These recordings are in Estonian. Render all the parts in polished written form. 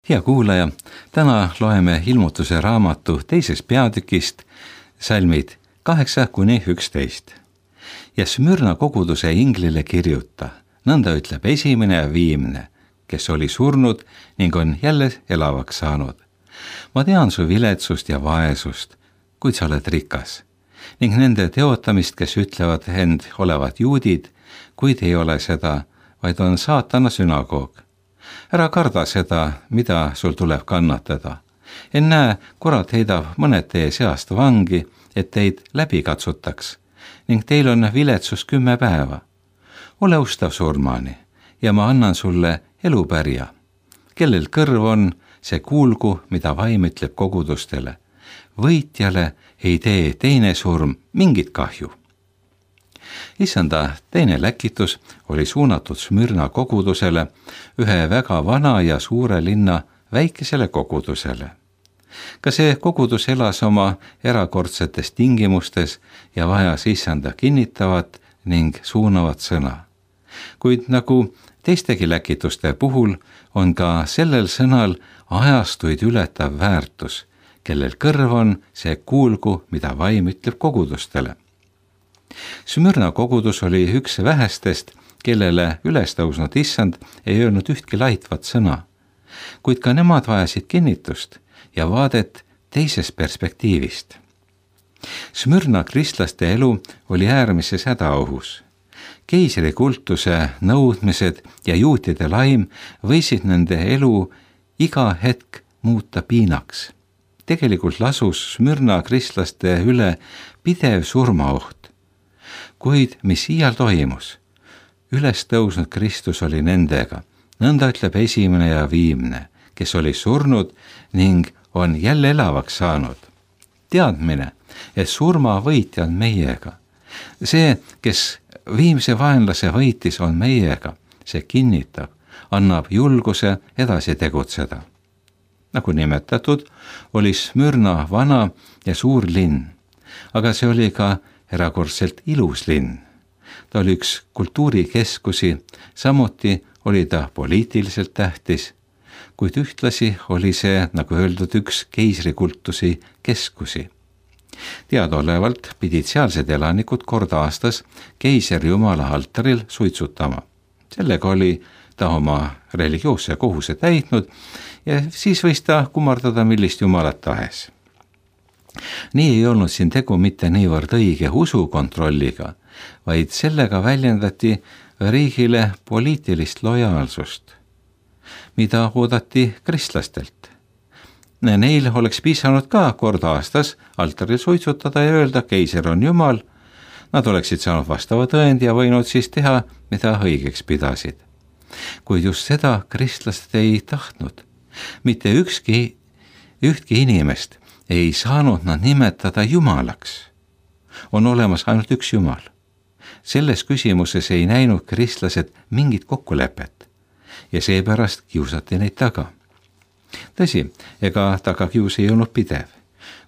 Hea kuulaja, täna loeme ilmutuse raamatu teisest peatükist salmid 8–11. Ja Smyrna koguduse inglile kirjuta, nõnda ütleb esimene ja viimne, kes oli surnud ning on jälle elavaks saanud. Ma tean su viletsust ja vaesust, kuid sa oled rikas, ning nende teotamist, kes ütlevad end olevat juudid, kuid ei ole seda, vaid on saatana sünagoog. Ära karda seda, mida sul tuleb kannatada. Ennäe, kurat heidab mõned teie seast vangi, et teid läbi katsutaks, ning teil on viletsus 10 päeva. Ole ustav surmani, ja ma annan sulle elupärja. Kellel kõrv on, see kuulgu, mida vaim ütleb kogudustele. Võitjale ei tee teine surm mingit kahju. Issanda teine läkitus oli suunatud Smyrna kogudusele, ühe väga vana ja suure linna väikesele kogudusele. Ka see kogudus elas oma erakordsetes tingimustes ja vajas issanda kinnitavat ning suunavat sõna. Kuid nagu teistegi läkituste puhul on ka sellel sõnal ajastuid ületav väärtus, kellel kõrv on, see kuulgu, mida vaim ütleb kogudustele. Smyrna kogudus oli üks vähestest, kellele ülestõusnud issand ei öelnud ühtki laitvat sõna, kuid ka nemad vajasid kinnitust ja vaadet teisest perspektiivist. Smyrna kristlaste elu oli äärmises hädaohus. Keisrikultuse nõudmised ja juutide laim võisid nende elu iga hetk muuta piinaks. Tegelikult lasus Smyrna kristlaste üle pidev surmaoht. Kuid mis iial toimus? Üles tõusnud Kristus oli nendega, nõnda ütleb esimene ja viimne, kes oli surnud ning on jälle elavaks saanud. Teadmine, et surma võitja on meiega. See, kes viimse vaenlase võitis, on meiega. See kinnitab, annab julguse edasi tegutseda. Nagu nimetatud, oli Smyrna vana ja suur linn, aga see oli ka erakordselt ilus linn. Ta oli üks kultuurikeskusi, samuti oli ta poliitiliselt tähtis, kuid ühtlasi oli see, nagu öeldud, üks keisrikultusi keskusi. Teadaolevalt pidid sealsed elanikud kord aastas keisrijumala altaril suitsutama. Sellega oli ta oma religioosse kohuse täitnud ja siis võis ta kummardada millist jumalat tahes. Nii ei olnud siin tegu mitte niivõrd õige usukontrolliga, vaid sellega väljendati riigile poliitilist lojaalsust, mida oodati kristlastelt. Neil oleks piisanud ka kord aastas altaril suitsutada ja öelda, keiser on jumal. Nad oleksid saanud vastava tõendi ja võinud siis teha, mida õigeks pidasid. Kuid just seda kristlased ei tahtnud. Mitte ühtki inimest ei saanud nad nimetada jumalaks. On olemas ainult üks jumal. Selles küsimuses ei näinud kristlased mingit kokkulepet ja seepärast kiusati neid taga. Tõsi, ega tagakius ei olnud pidev,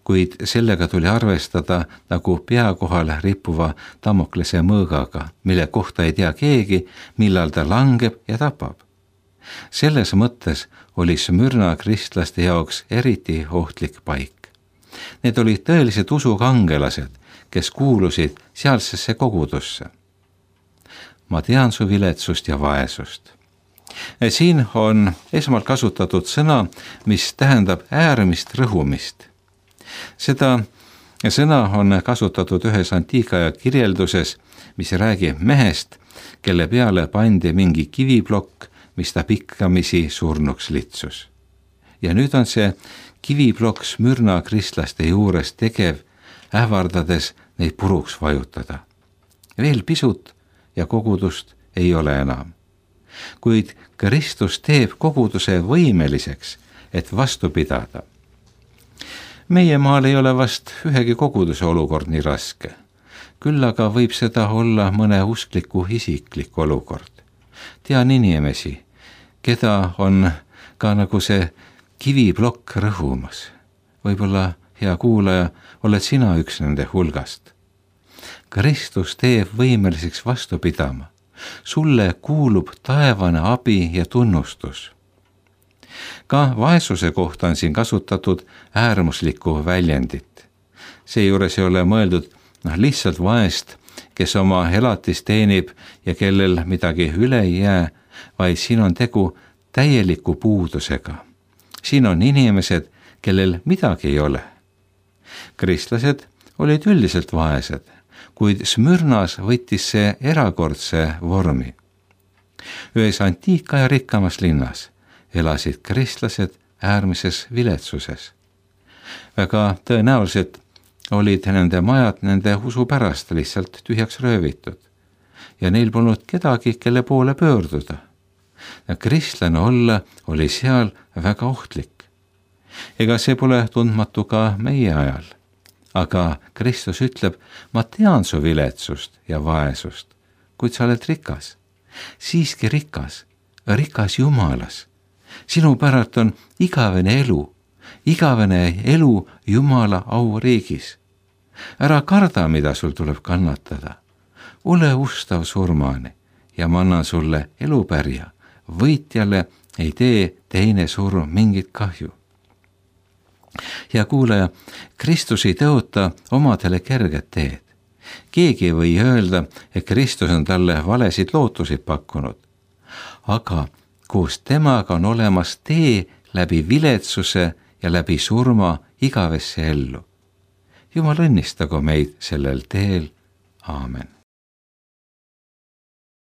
kuid sellega tuli arvestada nagu pea kohal rippuva Damoklese mõõgaga, mille kohta ei tea keegi, millal ta langeb ja tapab. Selles mõttes oli Smyrna kristlaste jaoks eriti ohtlik paik. Need olid tõelised usukangelased, kes kuulusid sealsesse kogudusse. Ma tean su viletsust ja vaesust. Siin on esmalt kasutatud sõna, mis tähendab äärmist rõhumist. Seda sõna on kasutatud ühes antiikaja kirjelduses, mis räägib mehest, kelle peale pandi mingi kiviplokk, mis ta pikkamisi surnuks litsus. Ja nüüd on see kiviplokk Smyrna kristlaste juures tegev, ähvardades neid puruks vajutada. Veel pisut ja kogudust ei ole enam. Kuid Kristus teeb koguduse võimeliseks, et vastu pidada. Meie maal ei ole vast ühegi koguduse olukord nii raske. Küll aga võib seda olla mõne uskliku isiklik olukord. Tean inimesi, keda on ka nagu see kiviplokk rõhumas. Võib-olla, hea kuulaja, oled sina üks nende hulgast. Kristus teeb võimeliseks vastu pidama. Sulle kuulub taevane abi ja tunnustus. Ka vaesuse kohta on siin kasutatud äärmuslikku väljendit. Seejuures ei ole mõeldud lihtsalt vaest, kes oma elatist teenib ja kellel midagi üle ei jää, vaid siin on tegu täieliku puudusega. Siin on inimesed, kellel midagi ei ole. Kristlased olid üldiselt vaesed, kuid Smyrnas võttis see erakordse vormi. Ühes antiikaja rikkamas linnas elasid kristlased äärmises viletsuses. Väga tõenäoliselt olid nende majad nende usu pärast lihtsalt tühjaks röövitud ja neil polnud kedagi, kelle poole pöörduda. Kristlane olla oli seal väga ohtlik. Ega see pole tundmatu ka meie ajal. Aga Kristus ütleb, ma tean su viletsust ja vaesust, kuid sa oled rikas. Siiski rikas Jumalas. Sinu päralt on igavene elu Jumala auriigis. Ära karda, mida sul tuleb kannatada. Ole ustav surmani ja ma annan sulle elupärja. Võitjale ei tee teine surm mingit kahju. Ja kuulaja, Kristus ei tõota omadele kerget teed. Keegi ei või öelda, et Kristus on talle valesid lootusid pakkunud. Aga koos temaga on olemas tee läbi viletsuse ja läbi surma igavesse ellu. Jumal õnnistagu meid sellel teel. Aamen.